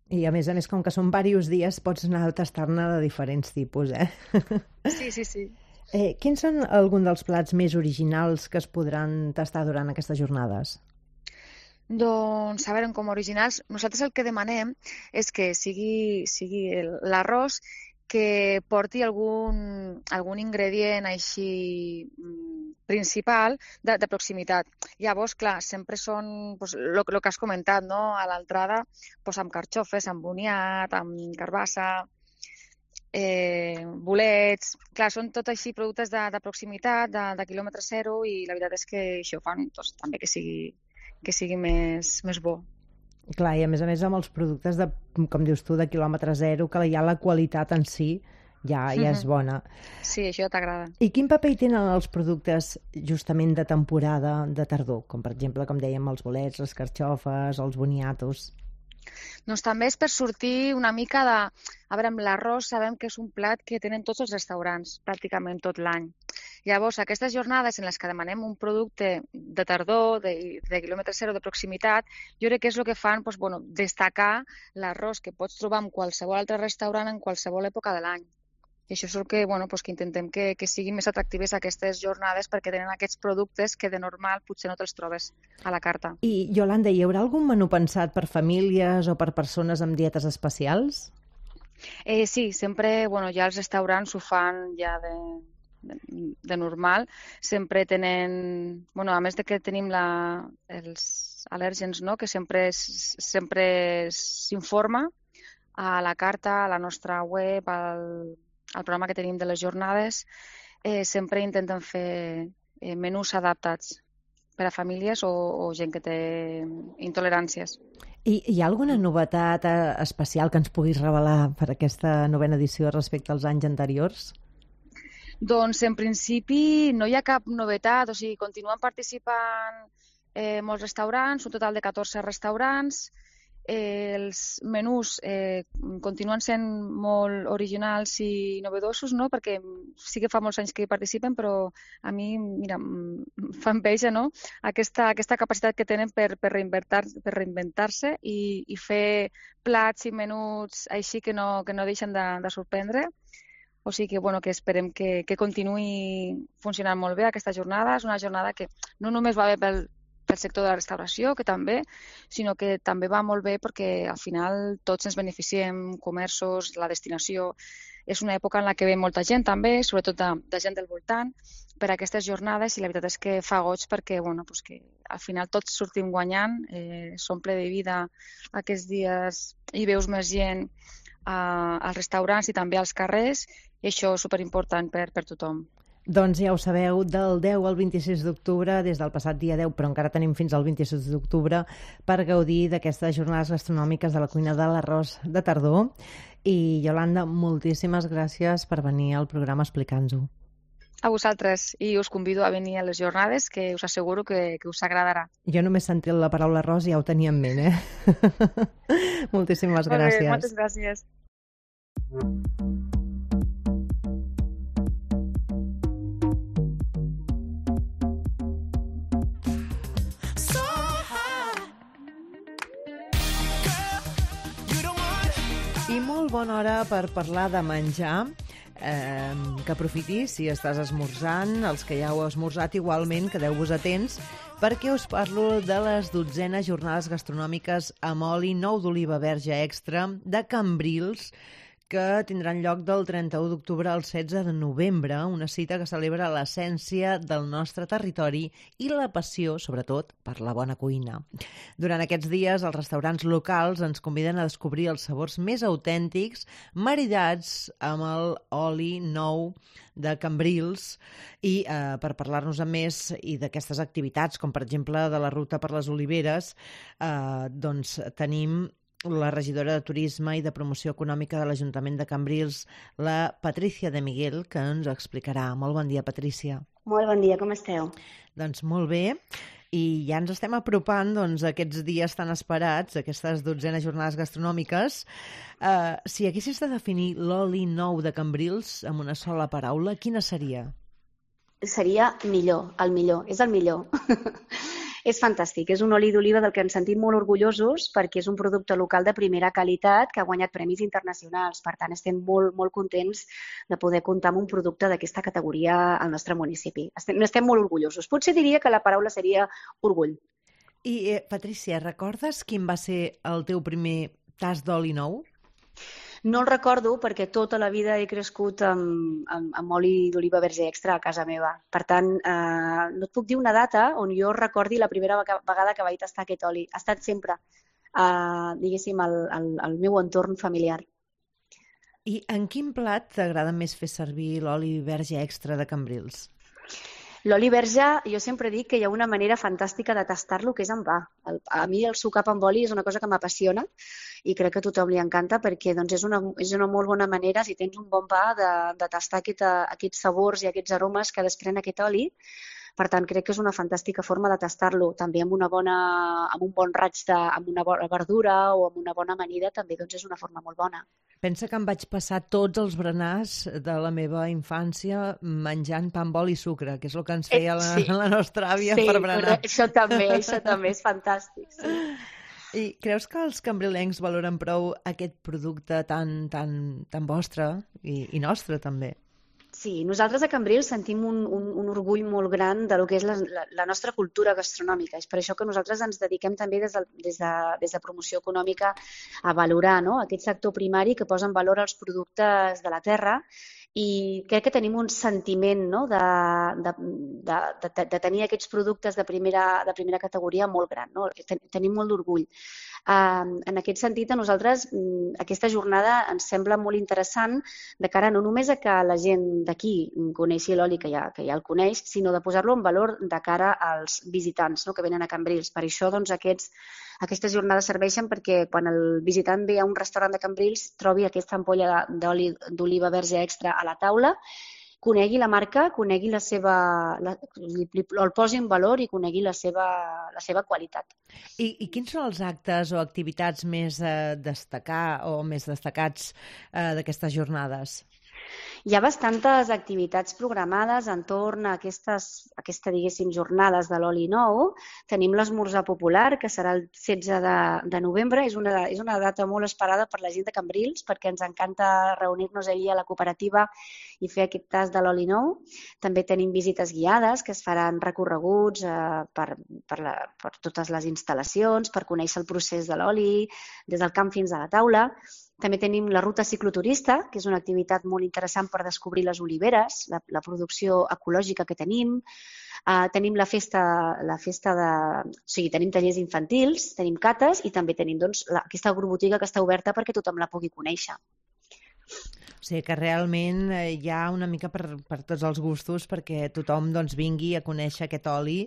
C: I a més a més, com que són diversos dies, pots anar a tastar-ne de diferents tipus, eh?
D: Sí, sí, sí.
C: Eh, quins són alguns dels plats més originals que es podran tastar durant aquestes jornades?
D: Doncs, a veure, com originals, nosaltres el que demanem és que sigui, sigui l'arròs que porti algun, algun ingredient així principal de, de proximitat. Llavors, clar, sempre són pues, lo, lo que has comentat, no? A l'entrada, pues, amb carxofes, amb boniat, amb carbassa, eh, bolets... Clar, són tot així productes de, de proximitat, de, de quilòmetre zero, i la veritat és que això fan doncs, també que sigui, que sigui més, més bo.
C: Clar, i a més a més amb els productes, de, com dius tu, de quilòmetre zero, que ja la qualitat en si ja, ja és bona.
D: Sí, això t'agrada.
C: I quin paper hi tenen els productes justament de temporada de tardor? Com per exemple, com dèiem, els bolets, les carxofes, els boniatos.
D: Doncs també és per sortir una mica de... A veure, amb l'arròs sabem que és un plat que tenen tots els restaurants, pràcticament tot l'any. Llavors, aquestes jornades en les que demanem un producte de tardor, de, de quilòmetre zero, de proximitat, jo crec que és el que fan doncs, bueno, destacar l'arròs que pots trobar en qualsevol altre restaurant en qualsevol època de l'any. I això és el que, bueno, doncs, que intentem que, que siguin més atractives aquestes jornades perquè tenen aquests productes que de normal potser no te'ls trobes a la carta.
C: I, Yolanda, hi haurà algun menú pensat per famílies o per persones amb dietes especials?
D: Eh, sí, sempre, bueno, ja els restaurants ho fan ja de, de, de normal. Sempre tenen, bueno, a més de que tenim la, els al·lèrgens, no?, que sempre sempre s'informa a la carta, a la nostra web, al el programa que tenim de les jornades, eh, sempre intenten fer eh, menús adaptats per a famílies o, o gent que té intoleràncies.
C: I hi ha alguna novetat eh, especial que ens puguis revelar per aquesta novena edició respecte als anys anteriors?
D: Doncs en principi no hi ha cap novetat, o sigui, continuen participant eh, molts restaurants, un total de catorze restaurants. Eh, els menús eh, continuen sent molt originals i novedosos, no? Perquè sí que fa molts anys que hi participen, però a mi, mira, em fa enveja, no?, aquesta, aquesta capacitat que tenen per, per reinventar-se per reinventar i, i fer plats i menús així que no, que no deixen de, de sorprendre. O sigui que, bueno, que esperem que, que continuï funcionant molt bé aquesta jornada. És una jornada que no només va bé pel pel sector de la restauració, que també, sinó que també va molt bé perquè al final tots ens beneficiem, comerços, la destinació. És una època en la que ve molta gent també, sobretot de, de gent del voltant, per a aquestes jornades, i la veritat és que fa goig perquè, bueno, pues que al final tots sortim guanyant, eh, s'omple de vida aquests dies i veus més gent a, als restaurants i també als carrers, i això és superimportant per, per tothom.
C: Doncs ja ho sabeu, del deu al vint-i-sis d'octubre, des del passat dia deu, però encara tenim fins al vint-i-sis d'octubre per gaudir d'aquestes jornades gastronòmiques de la cuina de l'arròs de tardor. I, Yolanda, moltíssimes gràcies per venir al programa a explicar-nos-ho.
D: A vosaltres, i us convido a venir a les jornades, que us asseguro que, que us agradarà.
C: Jo només sentit la paraula arròs i ja ho tenia en ment, eh? Moltíssimes gràcies.
D: Molt bé, moltes gràcies.
C: I molt bona hora per parlar de menjar, eh, que aprofitis si estàs esmorzant, els que ja heu esmorzat igualment, quedeu-vos atents, perquè us parlo de les dotzenes jornades gastronòmiques amb oli nou d'oliva verge extra de Cambrils, que tindran lloc del trenta-u d'octubre al setze de novembre, una cita que celebra l'essència del nostre territori i la passió, sobretot, per la bona cuina. Durant aquests dies, els restaurants locals ens conviden a descobrir els sabors més autèntics, maridats amb el oli nou de Cambrils, i eh, per parlar-nos a més i d'aquestes activitats, com per exemple de la ruta per les oliveres, eh, doncs tenim la regidora de Turisme i de Promoció Econòmica de l'Ajuntament de Cambrils, la Patricia de Miguel, que ens ho explicarà. Molt bon dia, Patricia.
E: Molt bon dia, com esteu?
C: Doncs molt bé. I ja ens estem apropant doncs, a aquests dies tan esperats, aquestes dotzenes jornades gastronòmiques. Uh, si haguessis de definir l'oli nou de Cambrils amb una sola paraula, quina seria?
E: Seria millor, el millor, és el millor. És fantàstic, és un oli d'oliva del que ens sentim molt orgullosos perquè és un producte local de primera qualitat que ha guanyat premis internacionals. Per tant, estem molt, molt contents de poder comptar amb un producte d'aquesta categoria al nostre municipi. Estem, estem molt orgullosos. Potser diria que la paraula seria orgull.
C: I, eh, Patricia, recordes quin va ser el teu primer tast d'oli nou?
E: No el recordo perquè tota la vida he crescut amb, amb, amb oli d'oliva verge extra a casa meva. Per tant, eh, no et puc dir una data on jo recordi la primera vegada que vaig tastar aquest oli. Ha estat sempre, eh, diguéssim, el, el, el meu entorn familiar.
C: I en quin plat t'agrada més fer servir l'oli verge extra de Cambrils?
E: L'oli verge, jo sempre dic que hi ha una manera fantàstica de tastar-lo, que és amb pa. El, a mi el sucap amb oli és una cosa que m'apassiona i crec que a tothom li encanta perquè doncs, és, una, és una molt bona manera, si tens un bon pa, de, de tastar aquest, aquests sabors i aquests aromes que desprèn aquest oli. Per tant, crec que és una fantàstica forma de tastar-lo. També amb, una bona, amb un bon raig de, amb una bona verdura o amb una bona amanida també doncs, és una forma molt bona.
C: Pensa que em vaig passar tots els berenars de la meva infància menjant pa amb oli i sucre, que és el que ens feia la, sí. la nostra àvia
E: sí,
C: per berenar.
E: Sí, això també, això també és fantàstic. Sí.
C: I creus que els cambrilencs valoren prou aquest producte tan, tan, tan vostre i, i nostre també?
E: Sí, nosaltres a Cambrils sentim un, un, un orgull molt gran de lo que és la, la, la nostra cultura gastronòmica. És per això que nosaltres ens dediquem també des de, des de, des de promoció econòmica a valorar, no?, aquest sector primari que posa en valor els productes de la terra i crec que tenim un sentiment, no?, de, de, de, de, de tenir aquests productes de primera, de primera categoria molt gran. No? Tenim molt d'orgull. Uh, en aquest sentit, a nosaltres um, aquesta jornada ens sembla molt interessant de cara no només a que la gent d'aquí coneixi l'oli, que ja, que ja el coneix, sinó de posar-lo en valor de cara als visitants, no?, que venen a Cambrils. Per això doncs, aquests, aquestes jornades serveixen perquè quan el visitant ve a un restaurant de Cambrils trobi aquesta ampolla d'oli d'oliva verge extra a la taula, conegui la marca, conegui la seva, la, el posi en valor i conegui la seva, la seva qualitat.
C: I, I quins són els actes o activitats més eh, destacar o més destacats eh, d'aquestes jornades?
E: Hi ha bastantes activitats programades entorn a aquestes, aquesta, diguéssim, jornades de l'oli nou. Tenim l'esmorzar popular, que serà el setze de novembre. És una, és una data molt esperada per la gent de Cambrils, perquè ens encanta reunir-nos allí a la cooperativa i fer aquest tast de l'oli nou. També tenim visites guiades, que es faran recorreguts eh, per, per, la, per totes les instal·lacions, per conèixer el procés de l'oli, des del camp fins a la taula. També tenim la ruta cicloturista, que és una activitat molt interessant per descobrir les oliveres, la, la producció ecològica que tenim. Uh, tenim la festa, la festa de... O sigui, tenim tallers infantils, tenim cates i també tenim doncs, la, aquesta agrobotiga que està oberta perquè tothom la pugui conèixer.
C: O sigui que realment hi ha una mica per, per tots els gustos perquè tothom doncs, vingui a conèixer aquest oli.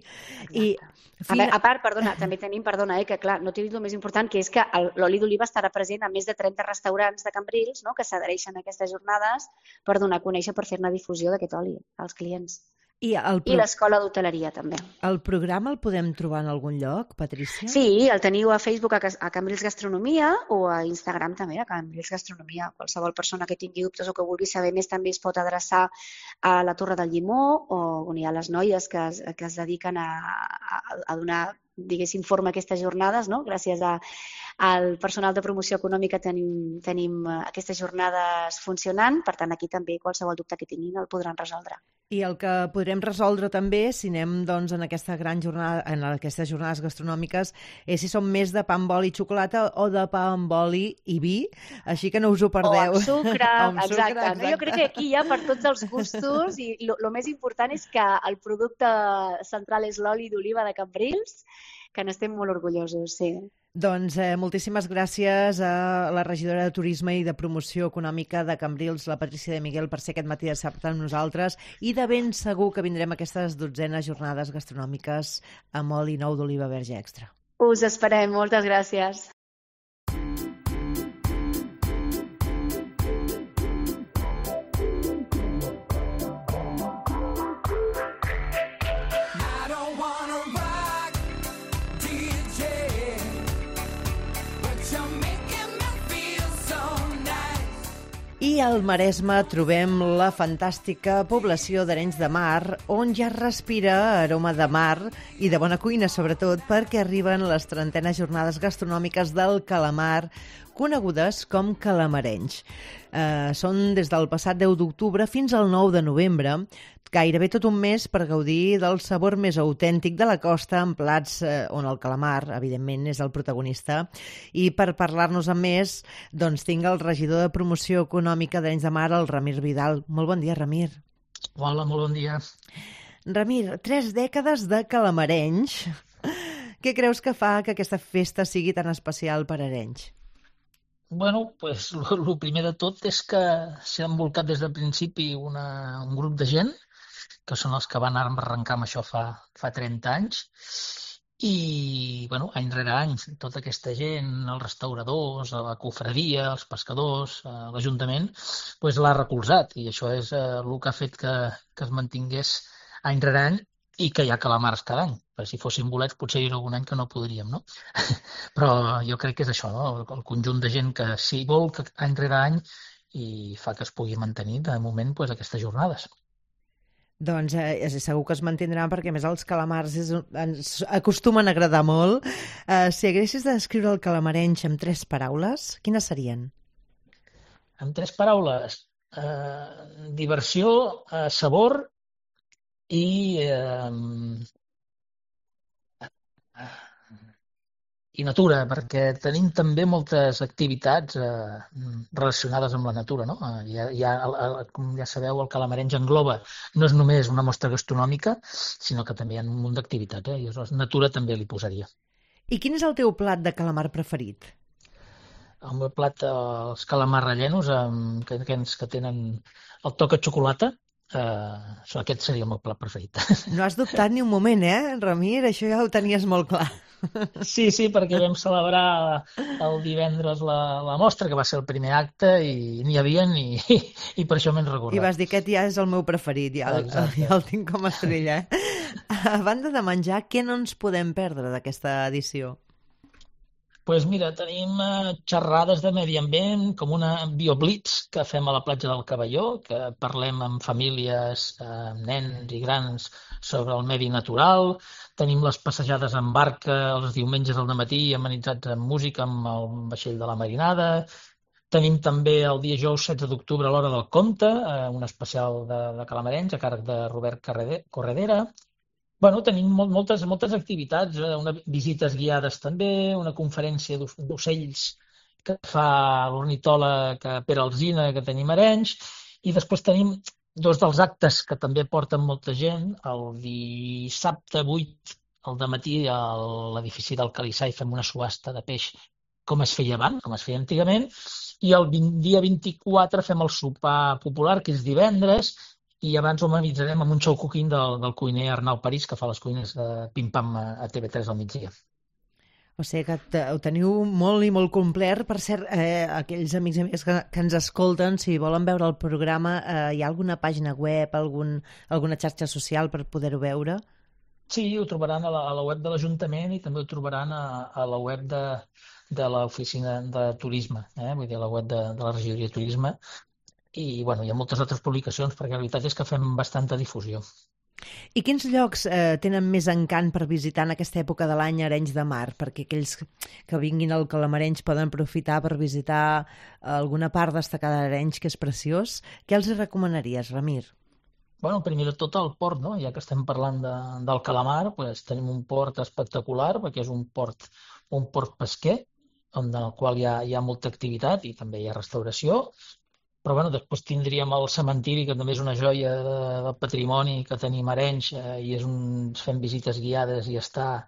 C: I,
E: a, veure, a part, perdona, també tenim, perdona, eh, que clar, no t'he dit el més important, que és que l'oli d'oliva estarà present a més de trenta restaurants de Cambrils, no?, que s'adhereixen a aquestes jornades per donar a conèixer, per fer-ne difusió d'aquest oli als clients.
C: I, el pro...
E: I l'escola d'hoteleria també.
C: El programa el podem trobar en algun lloc, Patricia?
E: Sí, el teniu a Facebook a, a Cambrils Gastronomia o a Instagram també, a Cambrils Gastronomia. Qualsevol persona que tingui dubtes o que vulgui saber més també es pot adreçar a la Torre del Llimó o on hi ha les noies que es, que es dediquen a, a, a donar, diguéssim, forma a aquestes jornades, no? Gràcies a, al personal de promoció econòmica tenim, tenim aquestes jornades funcionant, per tant aquí també qualsevol dubte que tinguin el podran resoldre.
C: I el que podrem resoldre també, si anem doncs, en, aquesta gran jornada, en aquestes jornades gastronòmiques, és si som més de pa amb oli i xocolata o de pa amb oli i vi, així que no us ho perdeu.
E: O amb sucre,
C: o amb
E: exacte.
C: sucre, exacte.
E: No, jo crec que aquí hi ha per tots els gustos i el més important és que el producte central és l'oli d'oliva de Cambrils, que n'estem molt orgullosos, sí.
C: Doncs eh, moltíssimes gràcies a la regidora de Turisme i de Promoció Econòmica de Cambrils, la Patricia de Miguel, per ser aquest matí de dissabte amb nosaltres i de ben segur que vindrem a aquestes dotzenes jornades gastronòmiques amb oli nou d'oliva verge extra.
E: Us esperem, moltes gràcies.
C: I al Maresme trobem la fantàstica població d'Arenys de Mar, on ja respira aroma de mar i de bona cuina, sobretot, perquè arriben les trentenes jornades gastronòmiques del calamar, conegudes com calamarenys. Eh, són des del passat deu d'octubre fins al nou de novembre, gairebé tot un mes per gaudir del sabor més autèntic de la costa en plats eh, on el calamar, evidentment, és el protagonista. I per parlar-nos amb més, doncs tinc el regidor de promoció econòmica d'Arenys de Mar, el Ramir Vidal. Molt bon dia, Ramir.
J: Hola, molt bon dia.
C: Ramir, tres dècades de calamarenys. Què creus que fa que aquesta festa sigui tan especial per Arenys?
J: Bueno, pues, el primer de tot és que s'ha envolcat des del principi una, un grup de gent, que són els que van arrencar amb això fa, fa trenta anys, i bueno, any rere any tota aquesta gent, els restauradors, la cofradia, els pescadors, l'Ajuntament, pues, l'ha recolzat, i això és eh, el que ha fet que, que es mantingués any rere any i que hi ha calamars cada any. Per si fossin bolets potser hi ha algun any que no podríem, no? Però jo crec que és això, no? El conjunt de gent que s'hi vol que any rere any i fa que es pugui mantenir de moment pues, aquestes jornades.
C: Doncs eh, segur que es mantindran perquè més els calamars és, ens acostumen a agradar molt. Eh, si haguessis de descriure el calamarenys amb tres paraules, quines serien?
J: Amb tres paraules, eh, diversió, eh, sabor i, eh, i natura, perquè tenim també moltes activitats eh, relacionades amb la natura, no? Ja, ja, com ja sabeu, el calamarenys engloba no és només una mostra gastronòmica, sinó que també hi ha un munt d'activitats, eh? I aleshores natura també li posaria.
C: I quin és el teu plat de calamar preferit?
J: El meu plat, els calamars rellenos, eh, que, que tenen el toc de xocolata, Uh, aquest seria el meu plat preferit.
C: No has dubtat ni un moment, eh, Ramir? Això ja ho tenies molt clar.
J: Sí, sí, perquè vam celebrar el divendres la, la mostra, que va ser el primer acte, i n'hi havia i, i per això m'he recordat.
C: I vas dir que aquest ja és el meu preferit, ja, ja el tinc com a estrella. Eh? A banda de menjar, què no ens podem perdre d'aquesta edició?
J: Doncs pues mira, tenim eh, xerrades de medi ambient, com una bioblitz que fem a la platja del Cavalló, que parlem amb famílies, eh, nens i grans sobre el medi natural. Tenim les passejades en barca els diumenges al matí, amenitzats amb música amb el vaixell de la Marinada. Tenim també el dia dijous setze d'octubre a l'Hora del Conte, eh, un especial de, de calamarenys a càrrec de Robert Corredera. Bueno, tenim molt, moltes, moltes activitats, eh? Una, visites guiades també, una conferència d'ocells que fa l'ornitòleg Pere Alsina, que tenim a Arenys, i després tenim dos dels actes que també porten molta gent. El dissabte vuit al dematí a l'edifici del Calissà i fem una subhasta de peix com es feia abans, com es feia antigament, i el dia vint-i-quatre fem el sopar popular, que és divendres, i abans ho amenitzarem amb un show cooking del, del cuiner Arnau París, que fa les cuines de pim-pam a T V tres al migdia.
C: O sigui que ho teniu molt i molt complet. Per cert, eh, aquells amics i amigues que, que ens escolten, si volen veure el programa, eh, hi ha alguna pàgina web, algun, alguna xarxa social per poder-ho veure?
J: Sí, ho trobaran a la, a la web de l'Ajuntament i també ho trobaran a, a la web de, de l'Oficina de Turisme, eh? Vull dir, a la web de, de la Regidoria de Turisme. I bueno, hi ha moltes altres publicacions, perquè la veritat és que fem bastanta difusió.
C: I quins llocs eh, tenen més encant per visitar en aquesta època de l'any a Arenys de Mar? Perquè aquells que vinguin al Calamarenys poden aprofitar per visitar alguna part destacada d'Arenys, que és preciós. Què els recomanaries, Ramir?
J: Bueno, primer de tot el port, no? Ja que estem parlant de, del calamar, pues, tenim un port espectacular, perquè és un port, un port pesquer, on, en el qual hi ha, hi ha molta activitat i també hi ha restauració. Però bueno, després tindríem el cementiri, que també és una joia de, del patrimoni que tenim a Arenys, eh, i és un, fem visites guiades i està,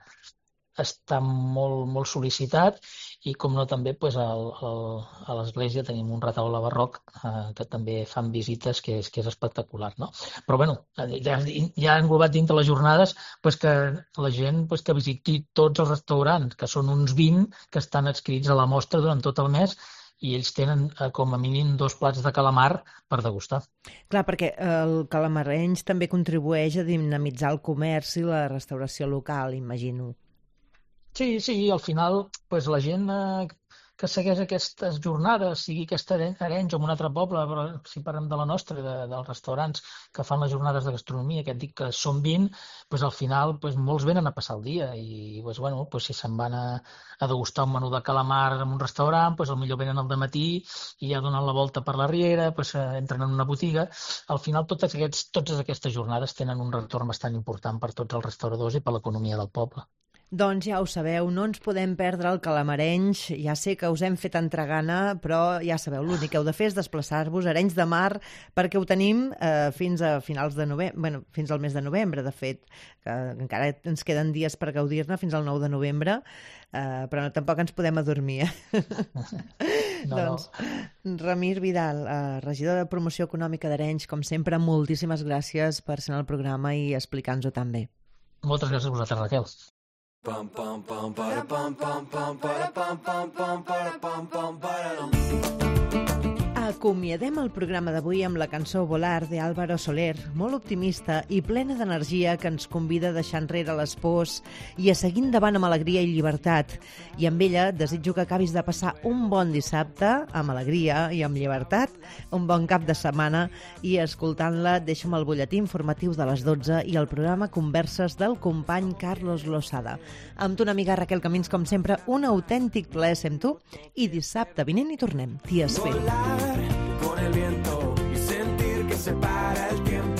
J: està molt, molt sol·licitat. I com no també pues, el, el, a l'església tenim un retaule barroc eh, que també fan visites, que és, que és espectacular, no? Però bueno, ja, ja englobat dintre les jornades pues, que la gent pues, que visiti tots els restaurants, que són uns vint que estan adscrits a la mostra durant tot el mes, i ells tenen eh, com a mínim dos plats de calamar per degustar.
C: Clar, perquè el calamarenys també contribueix a dinamitzar el comerç i la restauració local, imagino.
J: Sí, sí, al final pues, la gent eh, que segueix aquestes jornades, sigui aquesta Arenys o en un altre poble, però si parlem de la nostra, de, dels restaurants que fan les jornades de gastronomia, que et dic que són vint, doncs al final doncs molts venen a passar el dia i doncs, bueno, doncs si se'n van a, a degustar un menú de calamar en un restaurant, doncs potser venen al dematí i ja donen la volta per la riera, doncs entren en una botiga. Al final totes, aquests, totes aquestes jornades tenen un retorn bastant important per tots els restauradors i per l'economia del poble.
C: Doncs ja ho sabeu, no ens podem perdre el Calamarenys. Ja sé que us hem fet entregana, però ja sabeu, l'únic que heu de fer és desplaçar-vos a Arenys de Mar, perquè ho tenim eh, fins a finals de novembre, bueno, fins al mes de novembre, de fet, que encara ens queden dies per gaudir-ne fins al nou de novembre, eh, però no, tampoc ens podem adormir. Eh? No, doncs, no. Ramir Vidal, eh, regidor de Promoció Econòmica d'Arenys, com sempre, moltíssimes gràcies per ser en el programa i explicar-nos-ho tan bé.
J: Moltes gràcies a vosaltres, Raquel.
Q: Pam pam pam para pam pam pam para pam pam pam para pam pam para.
C: Acomiadem el programa d'avui amb la cançó Volar de Álvaro Soler, molt optimista i plena d'energia, que ens convida a deixar enrere les pors i a seguir endavant amb alegria i llibertat. I amb ella desitjo que acabis de passar un bon dissabte amb alegria i amb llibertat, un bon cap de setmana, i escoltant-la deixa'm el butlletí informatiu de les dotze i el programa Converses del company Carlos Losada. Amb tu, una amiga Raquel Camins, com sempre, un autèntic plaer ser amb tu, i dissabte vinent hi tornem. T'hi espero.
Q: Con el viento y sentir que se para el tiempo.